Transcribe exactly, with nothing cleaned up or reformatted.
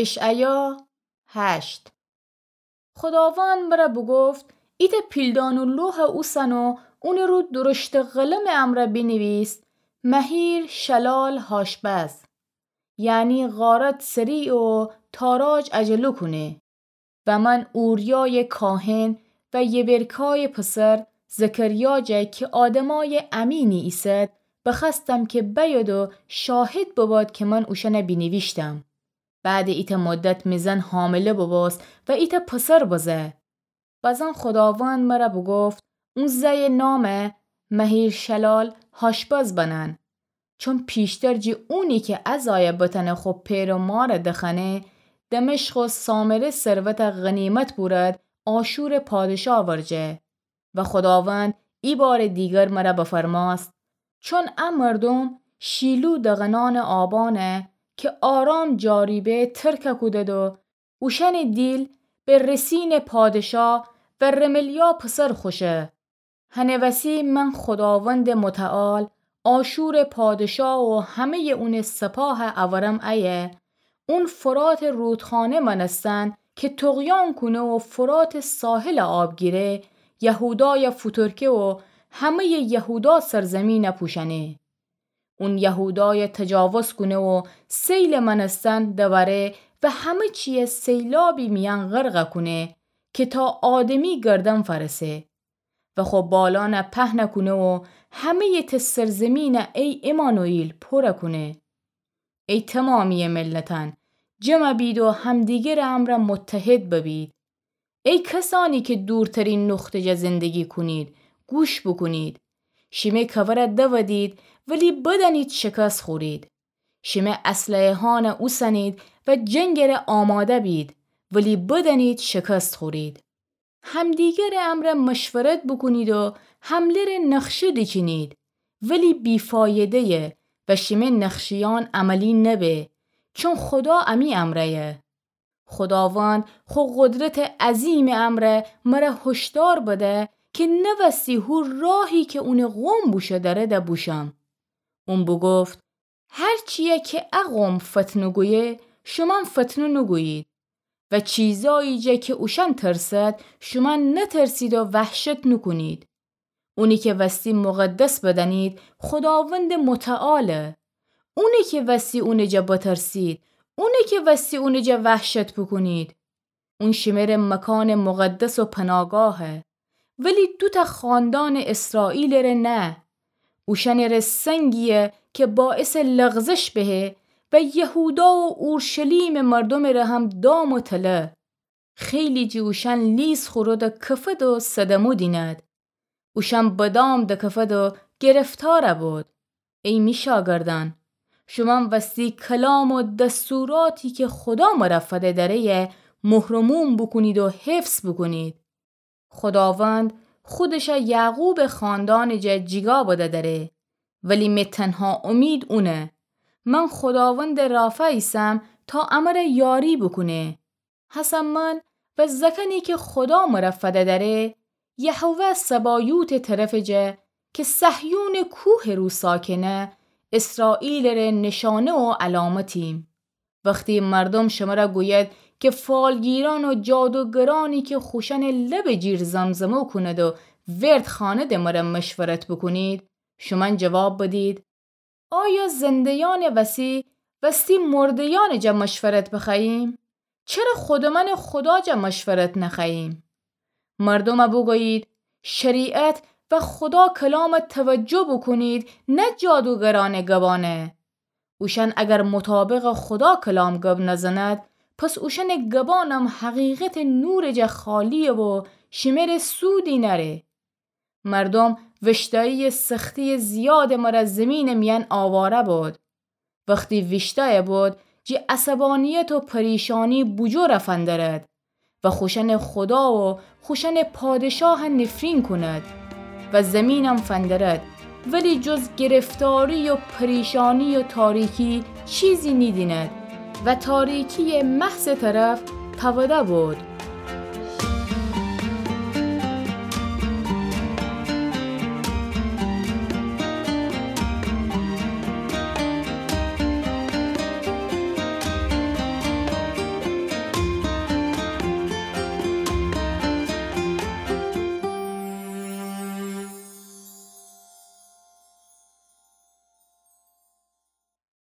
اشعیا هشت. خوداوند مرَ بوگفت: ایتأ پیلدانٚ لوحَ اوسن و اونٚ رو درشتٚ قلمٚ امرأ بینیویس: مهیرشلال هاشبز، یعنی غارت سریع و تاراج عجله کونه. و من اوریایٚ کاهن و یبرکایٚ پسر زکریا جا کی آدمایٚ امینی ایسد، بخوأستم کی بأید و شاهد بباد کی من اوشأنَ بینیویشتم. بعدٚ ایتأ مدت می زن حامله ببوست و ایتأ پسر بزه. بزن خوداوند مرَ بوگفت: اون زأیٚ نامَ مهیرشلال هاشبز بنن، چون پیشتر جی اونی کی ا زایَ بتأنه خو پئر و مارَ دخوأنه، دمشق و سامره ثروتَ غنیمت بورد آشورٚ پادشاه ورجه. و خوداوند ایبارٚ دیگر مرَ بفرماست: چون ا مردوم شیلو دغنأنٚ آبانَ کی آرام جاری به ترکَ کودد و اوشأنٚ دیل به رسینٚ پادشاه و رملیا پسر خوشه، هنٚ وسی من خوداوندٚ متعال آشورٚ پادشاه و همه‌یٚ اونٚ سپاهَ اورم ایه، اون فراتٚ رودخانه مأنستن کی طغیان کونه و فراتٚ ساحلَ آب گیره، یهودایَ فوتورکه و همه‌یٚ یهودا سرزمینَ پوشأنه. اون یهودایَ تجاوز کونه و سیلٚ مأنستن دوأره و همه چیَ سیلابی میأن غرقَ کونه کی تا آدمی گردن فأرسه و خو بالأنَ پهنَ کونه و همه‌یٚ ته سرزمینَ ای عمانوئیل پورَ کونه. ای تومامییٚ ملتأن، جمع بید و همدیگرٚ امرأ متحد ببید. ای کسأنی کی دورترین نقطه جا زندگی کونید، گوش بوکونید. شیمه کورَ دودید، ولی بدأنید شکست خورید. شیمه اسلحه‌یأنَ اوسنید و جنگٚ ره آماده بید، ولی بدأنید شکست خورید. همدیگرٚ امرأ مشورت بوکونید و حمله‌ره نقشه دیچینید، ولی بی‌فایده‌یه و شیمه نقشه‌یأن عملی نبه، چون خودا امی امرأیه. خوداوند خو قدرتٚ عظیمٚ امرأ مرَ هشدار بده کی نوستی هو راهی کی اونٚ قوم بوشو درده بوشم. اون بوگفت: هر چیی کی ا قوم فتنه گویه، شومأن فتنه نوگویید. و چیزایی جا کی اوشأن ترسد، شومأن نترسید و وحشت نوکونید. اونی کی وستی مقدس بدأنید، خوداوندٚ متعاله. اونی کی وستی اونٚ جا بترسید، اونی کی وستی اونٚ جا وحشت بوکونید. اون شیمره مکانٚ مقدس و پناگاهه، ولی دوتأ خاندانٚ اسرائیلٚ ره نه. اوشأنٚ ره سنگییه کی باعثٚ لغزش بهه و یهودا و اورشلیمٚ مردومٚ ره هم دام و تله. خیلی جٚه اوشأن لیس خورد و کفد و صدمه دینید. اوشأن به دام دکفد و گرفتار بود. ای می شاگردأن، شومأن وستی کلام و دستوراتی کی خودا مرَ فده دره‌یه مهر و موم بوکونید و حفظ بوکونید. خوداوند خودشَ یعقوبٚ خاندانٚ جا جیگا بده دره، ولی می تنها امید اونه. من خوداوندٚ رافع ایسم تا امرَ یاری بوکونه. هسه من و زأکأنی کی خودا مرَ فده دره، یهوه سبایوتٚ طرفٚ جا کی صهیونٚ کوهٚ رو ساکنه، اسرائیلٚ ره نشانه و علامتیم. وختی مردوم شمرَ گوید کی فالگیرأن و جادوگرأنی کی خوشأنٚ لبٚ جیر زمزمه کونید و ورد خوأنیدٚ مرَ مشورت بوکونید، شومأن جواب بدید: آیا زنده‌یأنٚ وسی وستی مرده‌یأنٚ جا مشورت بخوأییم؟ چره خودمأنٚ خودا جا مشورت نخوأییم؟ مردومَ بوگویید: شریعت و خودا کلامَ توجه بوکونید، نه جادوگرأنٚ گبأنَ. اوشأن اگر مطابقٚ خودا کلام گب نزند، پس اوشأنٚ گبأنم حقیقتٚ نورٚ جا خالییه و شمره سودی نأره. مردوم ویشتایییٚ سختییٚ زیادٚ مرَ زیمینٚ میأن آواره بود. وختی ویشتایه بود، جٚه عصبانیت و پریشانی بوجور فندرد و خوشأنٚ خودا و خوشأنٚ پادشاه نفرین کند و زیمینم فندرد، ولی جز گرفتاری و پریشانی و تاریکی چیزی نیدیند و تاریکییٚ محضٚ طرف تأوده بود.